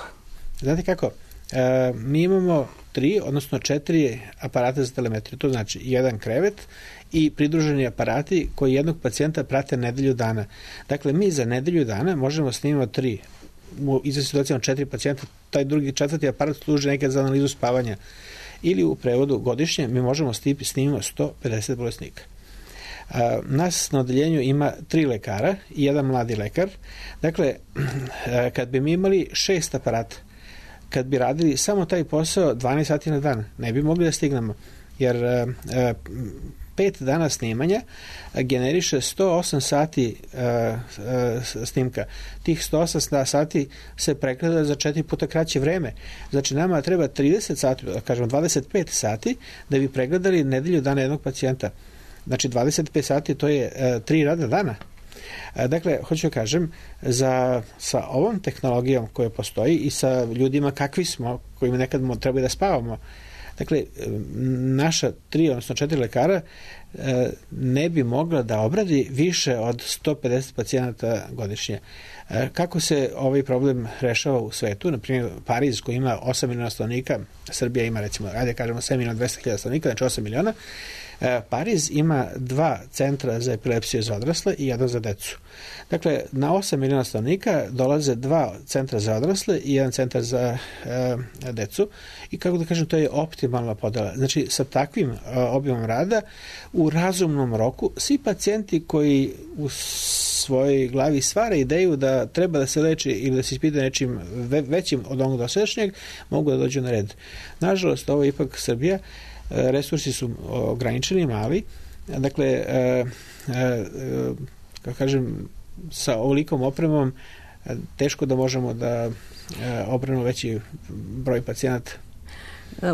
Znate kako? Mi imamo 3, odnosno 4 aparata za telemetriju. To znači 1 krevet i pridruženi aparati koji jednog pacijenta prate nedelju dana. Dakle, mi za nedelju dana možemo snimati 3, u izvesnim situacijama 4 pacijenta, taj drugi, 4. aparat služi nekad za analizu spavanja. Ili u prevodu godišnje mi možemo snimimo 150 bolesnika. Nas na odeljenju ima 3 lekara i 1 mladi lekar. Dakle, kad bi mi imali 6 aparata, kad bi radili samo taj posao 12 sati na dan, ne bi mogli da stignemo. Jer 5 dana snimanja generiše 108 sati snimka. Tih 108 sati se preklada za 4 puta kraće vreme. Znači, nama treba 30 sati, kažemo 25 sati, da bi pregledali nedelju dana jednog pacijenta. Znači, 25 sati to je 3 radna dana. Dakle, hoću da kažem, sa ovom tehnologijom koja postoji i sa ljudima kakvi smo, kojima nekad treba da spavamo, dakle, naša 3, odnosno 4 lekara ne bi mogla da obradi više od 150 pacijenata godišnje. Kako se ovaj problem rešava u svetu? Naprimjer, Pariz koji ima 8 miliona stanovnika, Srbija ima recimo, ajde kažemo 7 miliona 200.000 stanovnika, znači 8 miliona. Pariz ima 2 centra za epilepsiju za odrasle i 1 za decu. Dakle, na 8 miliona stanovnika dolaze 2 centra za odrasle i 1 centar za decu i kako da kažem, to je optimalna podela. Znači, sa takvim obimom rada u razumnom roku svi pacijenti koji u svojoj glavi stvara ideju da treba da se leči ili da se ispita nečim većim od onog dosadašnjeg, mogu da dođu na red. Nažalost, ovo je ipak Srbija, resursi su ograničeni, mali, dakle, kako kažem, sa ovolikom opremom teško da možemo da opremimo veći broj pacijenata.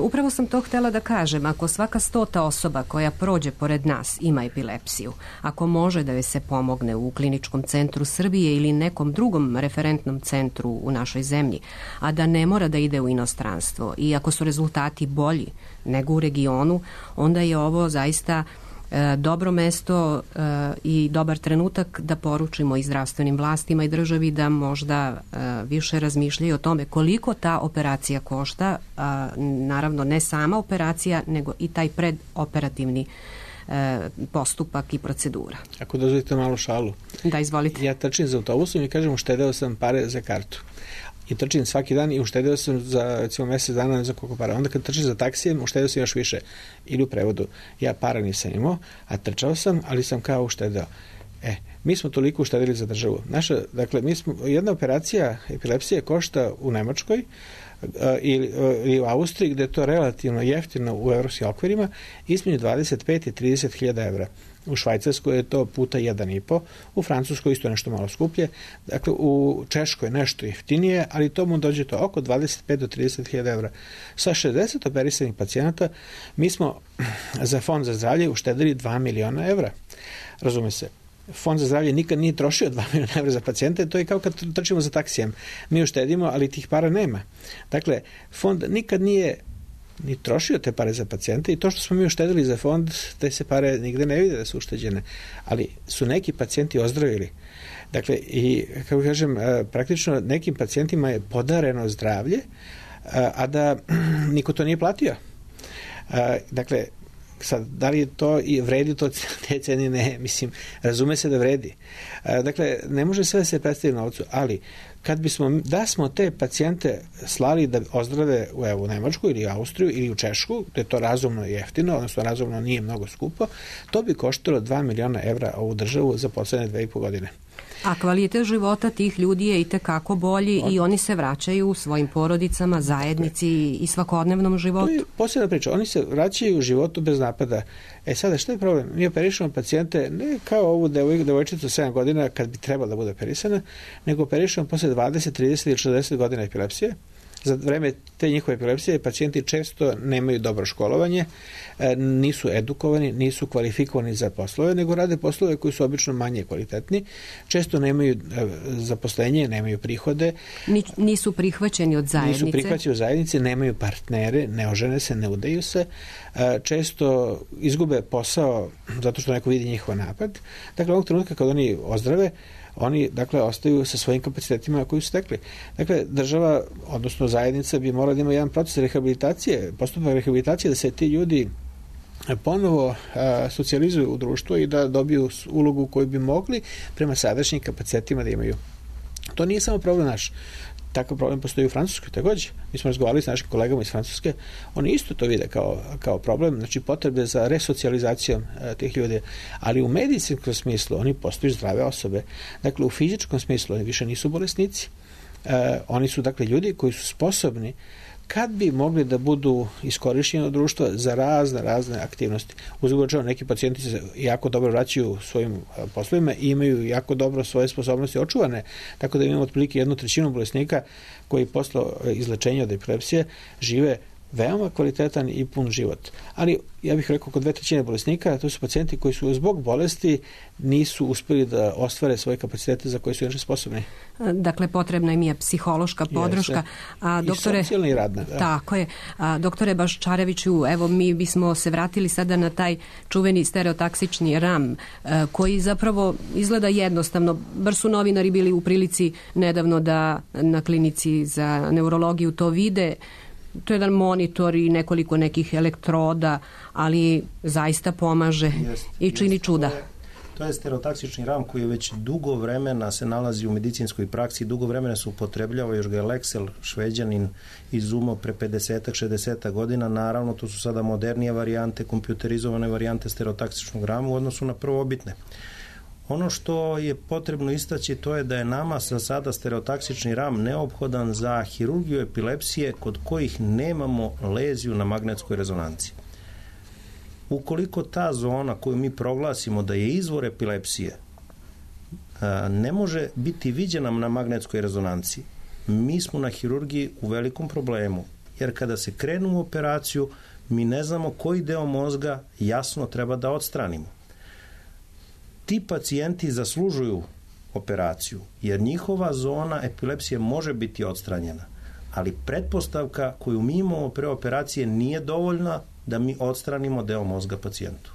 Upravo sam to htjela da kažem, ako svaka 100. osoba koja prođe pored nas ima epilepsiju, ako može da joj se pomogne u Kliničkom centru Srbije ili nekom drugom referentnom centru u našoj zemlji, a da ne mora da ide u inostranstvo i ako su rezultati bolji nego u regionu, onda je ovo zaista dobro mesto i dobar trenutak da poručimo i zdravstvenim vlastima i državi da možda više razmišljaju o tome koliko ta operacija košta, naravno ne sama operacija, nego i taj predoperativni postupak i procedura. Ako dozvolite malu šalu. Da, izvolite. Ja trčim za autobusom i kažem uštedeo sam pare za kartu. I trčim svaki dan i uštedeo sam za recimo mjesec dana za koliko para. Onda kad trčim za taksijem, uštedeo sam još više. Ili u prevodu. Ja para nisam imao, a trčao sam, ali sam kao uštedeo. Mi smo toliko uštedili za državu. Dakle, jedna operacija epilepsije košta u Nemačkoj ili u Austriji, gde je to relativno jeftino u evropskim okvirima, između 25 i 30.000 evra. U Švajcarskoj je to puta 1,5, u Francuskoj isto nešto malo skuplje, dakle u Češkoj nešto jeftinije, ali to mu dođe to oko 25 do 30.000 evra. Sa 60 operisanih pacijenata mi smo za Fond za zdravlje uštedili 2 miliona evra. Razume se. Fond za zdravlje nikad nije trošio 2 miliona evra za pacijente, to je kao kad trčimo za taksijem. Mi uštedimo, ali tih para nema. Dakle, fond nikad nije ni trošio te pare za pacijente i to što smo mi uštedili za fond, te se pare nigde ne vide da su ušteđene. Ali su neki pacijenti ozdravili. Dakle, i kako kažem, praktično nekim pacijentima je podareno zdravlje, a da niko to nije platio. Dakle, sad, da li je to i vredi to te cene? Ne, mislim, razume se da vredi. Dakle, ne može sve se predstaviti novcu, ali da smo te pacijente slali da ozdrave u Nemačku ili Austriju ili u Češku, gde je to razumno i jeftino, odnosno razumno nije mnogo skupo, to bi koštalo 2 miliona evra ovu državu za poslednje 2,5 godine. A kvalitet života tih ljudi je itekako bolji i oni se vraćaju svojim porodicama, zajednici i svakodnevnom životu. To je posebna priča. Oni se vraćaju u životu bez napada. Sada, što je problem? Mi operišemo pacijente ne kao ovu devojčicu 7 godina kad bi trebala da bude operisana, nego operišemo posle 20, 30 ili 40 godina epilepsije za vreme te njihove epilepsije pacijenti često nemaju dobro školovanje, nisu edukovani, nisu kvalifikovani za poslove, nego rade poslove koji su obično manje kvalitetni, često nemaju zaposlenje, nemaju prihode. Nisu prihvaćeni od zajednice. Nisu prihvaćeni od zajednice, nemaju partnere, ne ožene se, ne udaju se, često izgube posao zato što neko vidi njihov napad. Dakle, ovog trenutka kad oni ozdrave, oni, dakle, ostaju sa svojim kapacitetima koji su stekli. Dakle, država, odnosno zajednica bi morala da ima jedan proces rehabilitacije, postupak rehabilitacije, da se ti ljudi ponovo socijalizuju u društvo i da dobiju ulogu koju bi mogli prema sadašnjim kapacitetima da imaju. To nije samo problem naš. Takav problem postoji u Francuskoj takođe. Mi smo razgovarali s našim kolegama iz Francuske, oni isto to vide kao problem, znači potrebe za resocijalizacijom tih ljudi, ali u medicinskom smislu oni postaju zdrave osobe. Dakle, u fizičkom smislu oni više nisu bolesnici. Oni su, dakle, ljudi koji su sposobni kad bi mogli da budu iskorišćeni od društva za razne aktivnosti. Uzgled neki pacijenti se jako dobro vraćaju svojim poslovima i imaju jako dobro svoje sposobnosti očuvane, tako da imamo otprilike 1/3 bolesnika koji posle izlečenja od epilepsije žive veoma kvalitetan i pun život. Ali ja bih rekao kod 2/3 bolesnika to su pacijenti koji su zbog bolesti nisu uspeli da ostvare svoje kapacitete za koje su inače sposobni. Dakle, potrebna im je psihološka podrška. I socijalna i radna. Da. Tako je. Doktore Baščareviću, evo mi bismo se vratili sada na taj čuveni stereotaksični RAM, koji zapravo izgleda jednostavno. Bar su novinari bili u prilici nedavno da na klinici za neurologiju to vide. To je jedan monitor i nekoliko nekih elektroda, ali zaista pomaže i čini čuda. To je stereotaksični RAM koji je već dugo vremena se nalazi u medicinskoj praksi, dugo vremena se upotrebljava, još ga je Lexel, Šveđanin, izumao pre 50-60 godina. Naravno, to su sada modernije varijante, kompjuterizovane varijante stereotaksičnog RAM u odnosu na prvobitne. Ono što je potrebno istaći to je da je nama za sada stereotaksični RAM neophodan za hirurgiju epilepsije kod kojih nemamo leziju na magnetskoj rezonanci. Ukoliko ta zona koju mi proglasimo da je izvor epilepsije ne može biti viđena na magnetskoj rezonanci, mi smo na hirurgiji u velikom problemu, jer kada se krenu u operaciju mi ne znamo koji deo mozga jasno treba da odstranimo. Ti pacijenti zaslužuju operaciju, jer njihova zona epilepsije može biti odstranjena, ali pretpostavka koju mi imamo pre operacije nije dovoljna da mi odstranimo deo mozga pacijentu.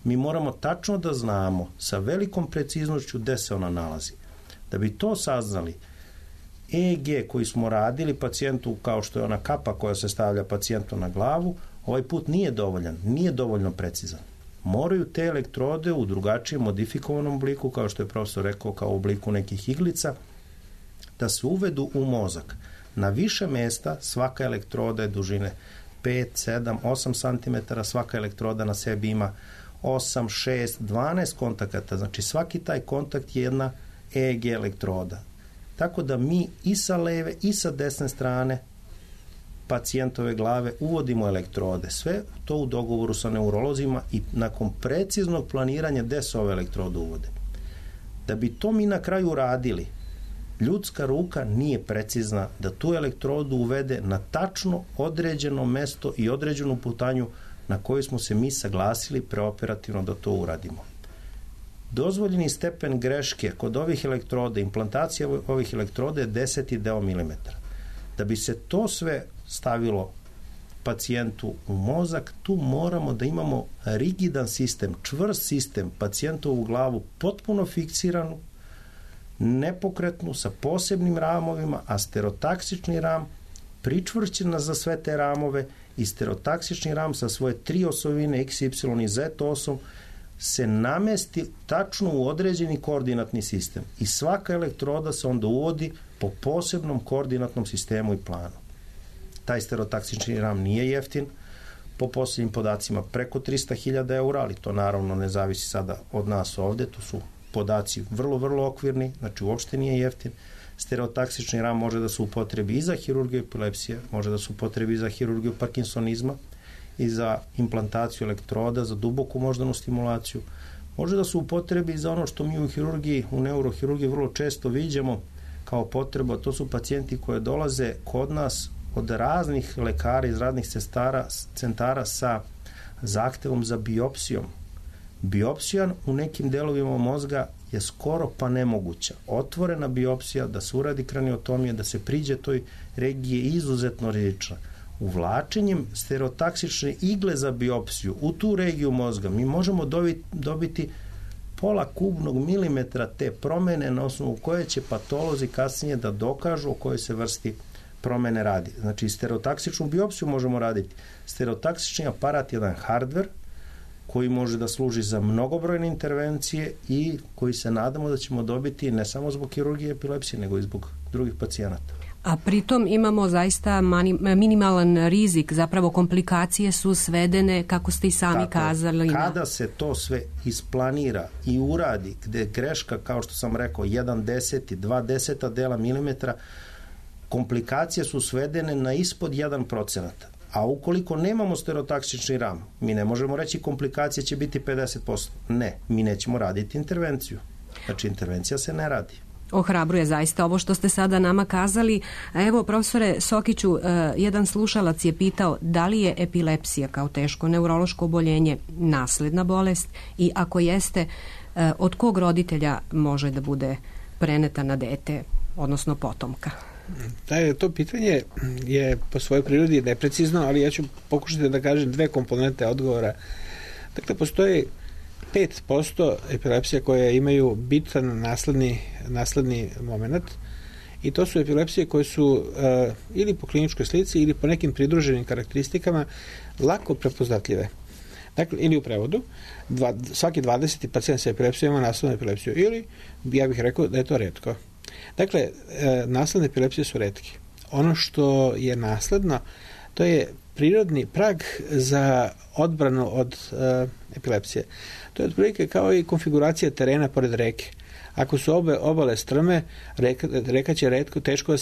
Mi moramo tačno da znamo sa velikom preciznošću gde se ona nalazi. Da bi to saznali, EEG koji smo radili pacijentu, kao što je ona kapa koja se stavlja pacijentu na glavu, ovaj put nije dovoljan, nije dovoljno precizan. Moraju te elektrode u drugačijem modifikovanom obliku, kao što je profesor rekao, kao u obliku nekih iglica, da se uvedu u mozak. Na više mesta svaka elektroda je dužine 5, 7, 8 cm, svaka elektroda na sebi ima 8, 6, 12 kontakata, znači svaki taj kontakt je jedna EEG elektroda. Tako da mi i sa leve i sa desne strane pacijentove glave uvodimo elektrode. Sve to u dogovoru sa neurolozima i nakon preciznog planiranja gde se ove elektrode uvode. Da bi to mi na kraju uradili, ljudska ruka nije precizna da tu elektrodu uvede na tačno određeno mesto i određenu putanju na koju smo se mi saglasili preoperativno da to uradimo. Dozvoljeni stepen greške kod ovih elektroda, implantacija ovih elektroda je 10 deo milimetra. Da bi se to sve stavilo pacijentu u mozak, tu moramo da imamo rigidan sistem, čvrst sistem, pacijentovu glavu potpuno fiksiranu, nepokretnu, sa posebnim ramovima, a stereotaksični ram pričvršćena za sve te ramove i stereotaksični ram sa svoje 3 osovine X, Y i Z osom se namesti tačno u određeni koordinatni sistem i svaka elektroda se onda uvodi po posebnom koordinatnom sistemu i planu. Taj stereotaksični RAM nije jeftin, po posljednjim podacima preko 300.000 eura, ali to naravno ne zavisi sada od nas ovde, to su podaci vrlo, vrlo okvirni, znači uopšte nije jeftin. Stereotaksični RAM može da se upotrebi i za hirurgiju epilepsije, može da se upotrebi i za hirurgiju parkinsonizma, i za implantaciju elektroda, za duboku moždanu stimulaciju. Može da se upotrebi i za ono što mi u hirurgiji, u neurohirurgiji vrlo često viđamo kao potreba, to su pacijenti koji dolaze kod nas od raznih lekara iz raznih centara sa zahtevom za biopsijom. Biopsija u nekim delovima mozga je skoro pa nemoguća. Otvorena biopsija, da se uradi kraniotomija, da se priđe toj regiji je izuzetno rizična. Uvlačenjem stereotaksične igle za biopsiju u tu regiju mozga mi možemo dobiti pola kubnog milimetra te promene na osnovu koje će patolozi kasnije da dokažu o kojoj se vrsti promene radi. Znači, stereotaksičnu biopsiju možemo raditi. Stereotaksični aparat je jedan hardver koji može da služi za mnogobrojne intervencije i koji se nadamo da ćemo dobiti ne samo zbog kirurgije epilepsije, nego i zbog drugih pacijenata. A pritom imamo zaista minimalan rizik, zapravo komplikacije su svedene, kako ste i sami kazali. Kada se to sve isplanira i uradi, gde greška, kao što sam rekao, 1/10, 2/10 dela milimetra, komplikacije su svedene na ispod 1%. A ukoliko nemamo stereotaksični ram, mi ne možemo reći komplikacije će biti 50%. Ne, mi nećemo raditi intervenciju. Znači, intervencija se ne radi. Ohrabruje zaista ovo što ste sada nama kazali. A evo, profesore Sokiću, jedan slušalac je pitao da li je epilepsija kao teško neurološko oboljenje nasledna bolest i ako jeste, od kog roditelja može da bude preneta na dete, odnosno potomka? To pitanje je po svojoj prirodi neprecizno, ali ja ću pokušati da kažem dve komponente odgovora. Dakle, postoji 5% epilepsija koje imaju bitan nasledni moment i to su epilepsije koje su ili po kliničkoj slici ili po nekim pridruženim karakteristikama lako prepoznatljive. Dakle, ili u prevodu, svaki 20. pacijent sa epilepsijom ima naslednu epilepsiju ili ja bih rekao da je to retko. Dakle, nasledne epilepsije su retke. Ono što je nasledno, to je prirodni prag za odbranu od epilepsije. To je otprilike kao i konfiguracija terena pored reke. Ako su obale strme, reka će retko, teško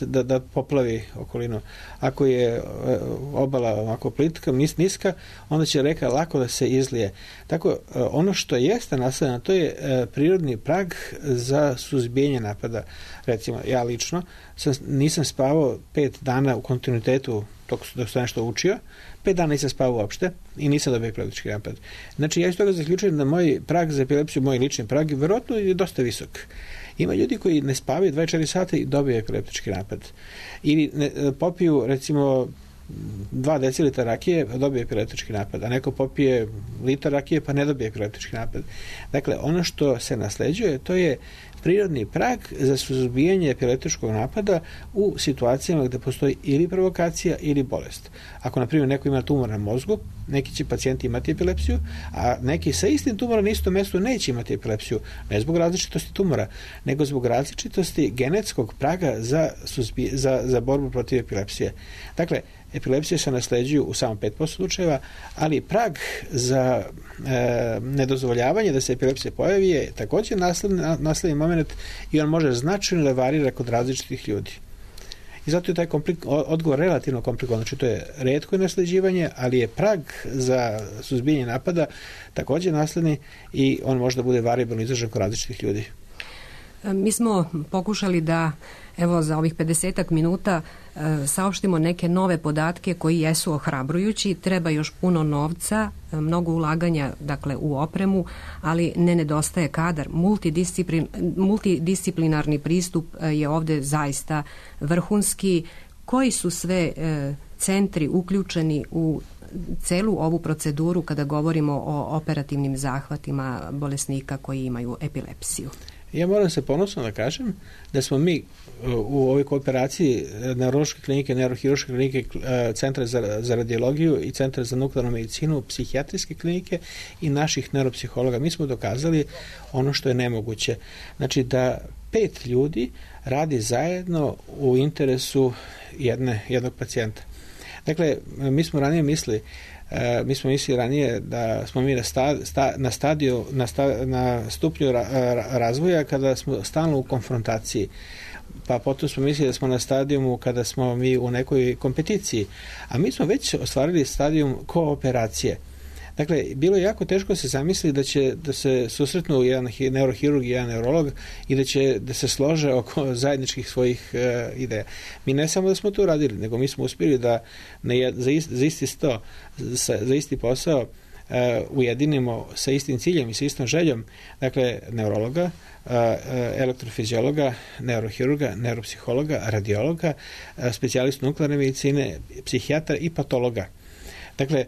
da poplavi okolinu. Ako je obala ovako plitka, niska, onda će reka lako da se izlije. Tako, ono što jeste nasledno, to je prirodni prag za suzbijanje napada. Recimo, ja lično nisam spavao 5 dana u kontinuitetu dok sam nešto učio, 5 dana nisam spavao uopšte i nisam dobio epileptički napad. Znači, ja iz toga zaključujem da moj prag za epilepsiju, moj lični prag, verovatno je dosta visok. Ima ljudi koji ne spavaju 24 sata i dobiju epileptički napad. Ili popiju, recimo, 2 decilitra rakije, dobije epileptički napad, a neko popije litar rakije pa ne dobije epileptički napad. Dakle, ono što se nasleđuje, to je prirodni prag za suzbijanje epileptičkog napada u situacijama gde postoji ili provokacija ili bolest. Ako, na primjer, neko ima tumor na mozgu, neki će pacijenti imati epilepsiju, a neki sa istim tumorom na istom mestu neće imati epilepsiju, ne zbog različitosti tumora, nego zbog različitosti genetskog praga za borbu protiv epilepsije. Dakle, epilepsije se nasleđuju u samo 5% slučajeva, ali prag za nedozvoljavanje da se epilepsija pojavi je također nasledni moment i on može značajno da varira kod različitih ljudi. I zato je taj odgovor relativno komplikovan. Znači, to je retko nasleđivanje, ali je prag za suzbijanje napada također nasledni i on može da bude variabilno izražen kod različitih ljudi. Mi smo pokušali da, evo, za ovih 50 minuta saopštimo neke nove podatke koji jesu ohrabrujući. Treba još puno novca, mnogo ulaganja, dakle, u opremu, ali ne nedostaje kadar. Multidisciplinarni pristup je ovde zaista vrhunski. Koji su sve centri uključeni u celu ovu proceduru kada govorimo o operativnim zahvatima bolesnika koji imaju epilepsiju? Ja moram se ponosno da kažem da smo mi u ovoj kooperaciji neurološke klinike, neurohiruške klinike, centra za radiologiju i centra za nuklearnu medicinu, psihijatrijske klinike i naših neuropsihologa, mi smo dokazali ono što je nemoguće. Znači da 5 ljudi radi zajedno u interesu jednog pacijenta. Dakle, mi smo ranije mislili da smo mi na stupnju razvoja kada smo stalno u konfrontaciji, pa potom smo mislili da smo na stadijumu kada smo mi u nekoj kompeticiji, a mi smo već ostvarili stadijum kooperacije. Dakle, bilo je jako teško se zamisliti da se susretnu jedan neurohirurg i jedan neurolog i da se slože oko zajedničkih svojih ideja. Mi ne samo da smo to radili, nego mi smo uspjeli da za isti posao ujedinimo sa istim ciljem i sa istom željom, dakle, neurologa, elektrofiziologa, neurohirurga, neuropsihologa, radiologa, specijalistu nuklearne medicine, psihijatra i patologa. Dakle,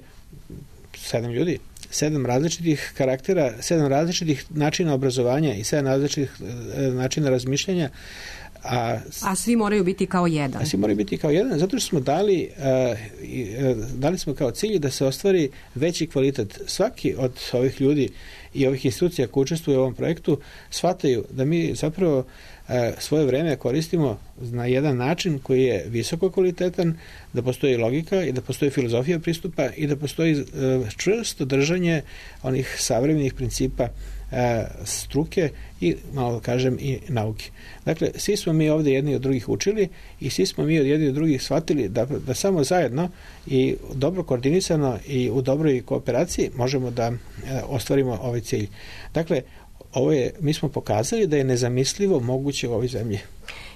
7 ljudi, 7 različitih karaktera, 7 različitih načina obrazovanja i 7 različitih načina razmišljanja. A svi moraju biti kao jedan. A svi moraju biti kao jedan, zato što smo dali smo kao cilj da se ostvari veći kvalitet. Svaki od ovih ljudi i ovih institucija koji učestvuju u ovom projektu shvataju da mi zapravo svoje vreme koristimo na jedan način koji je visoko kvalitetan, da postoji logika i da postoji filozofija pristupa i da postoji čvrsto držanje onih savremenih principa struke i, malo kažem, i nauke. Dakle, svi smo mi ovdje jedni od drugih učili i svi smo mi od jedni od drugih shvatili da samo zajedno i dobro koordinisano i u dobroj kooperaciji možemo da ostvarimo ovaj cilj. Dakle, mi smo pokazali da je nezamislivo moguće u ovoj zemlji.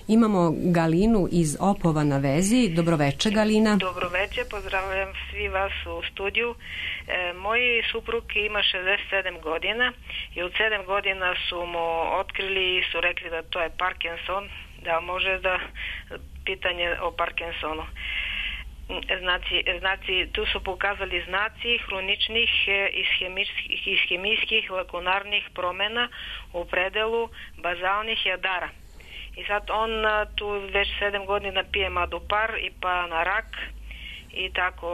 Imamo Galinu iz Opova na vezi. Dobroveče, Galina. Dobroveče, pozdravljam svi vas u studiju. Moj suprug ima 67 godina i od 7 godina su mu otkrili i su rekli da to je Parkinson, da može da pitanje o Parkinsonu. Znači, tu su pokazali znaci hroničnih i hemijskih lakunarnih promjena u predelu bazalnih jadara. I sad on tu već 7 godina pije Madopar i pa na rak i tako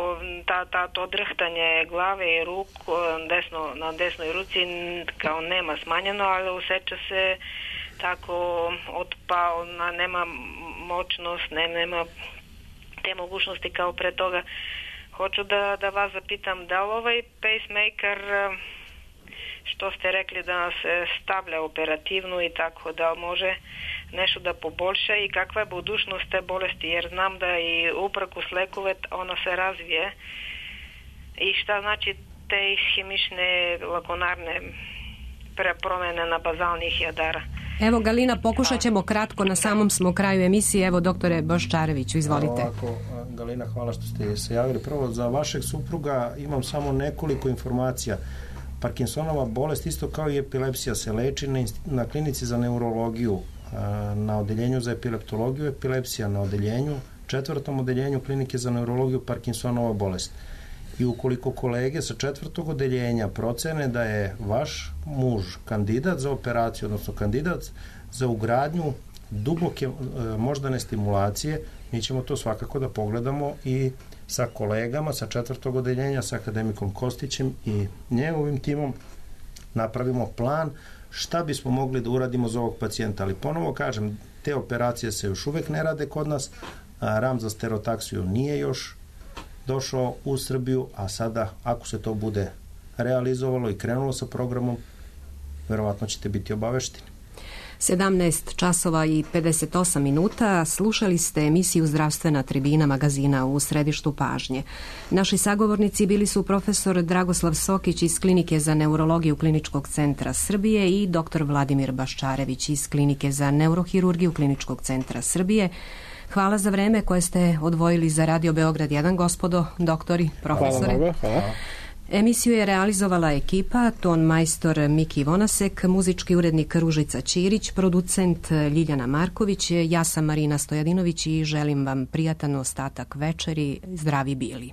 to drhtanje glave i ruk na desnoj ruci kao nema smanjeno, ali osjeća se tako otpao, nema moćnost, nema te mogućnosti kao pre toga. Hoću da vas zapitam, da li ovaj pacemaker, što ste rekli da nas stavlja operativno i tako, da može nešto da poboljša i kakva je budućnost te bolesti, jer znam da i uprkos lekove ona se razvije i šta znači te ishemične lakunarne promjene na bazalnih jadara. Evo, Galina, pokušat ćemo kratko, na samom smo kraju emisije. Evo, doktore Boščareviću, izvolite. Ovako, Galina, hvala što ste se javili. Prvo, za vašeg supruga imam samo nekoliko informacija. Parkinsonova bolest, isto kao i epilepsija, se leči na klinici za neurologiju, na odeljenju za epileptologiju, epilepsija na odeljenju, 4. odeljenju klinike za neurologiju, Parkinsonova bolest. I ukoliko kolege sa 4. odeljenja procene da je vaš muž kandidat za operaciju, odnosno kandidat za ugradnju duboke moždane stimulacije, mi ćemo to svakako da pogledamo i sa kolegama sa 4. odeljenja, sa akademikom Kostićem i njegovim timom napravimo plan šta bismo mogli da uradimo za ovog pacijenta. Ali ponovo kažem, te operacije se još uvek ne rade kod nas, ram za stereotaksiju nije još došao u Srbiju, a sada, ako se to bude realizovalo i krenulo sa programom, verovatno ćete biti obavešteni. 17 časova i 58 minuta. Slušali ste emisiju Zdravstvena tribina magazina U središtu pažnje. Naši sagovornici bili su profesor Dragoslav Sokić iz Klinike za neurologiju Kliničkog centra Srbije i dr. Vladimir Baščarević iz Klinike za neurohirurgiju Kliničkog centra Srbije. Hvala za vreme koje ste odvojili za Radio Beograd 1, gospodo, doktori, profesore. Hvala. Emisiju je realizovala ekipa, ton majstor Miki Vonasek, muzički urednik Ružica Ćirić, producent Ljiljana Marković, ja sam Marina Stojadinović i želim vam prijatan ostatak večeri. Zdravi bili.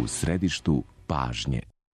U središtu pažnje.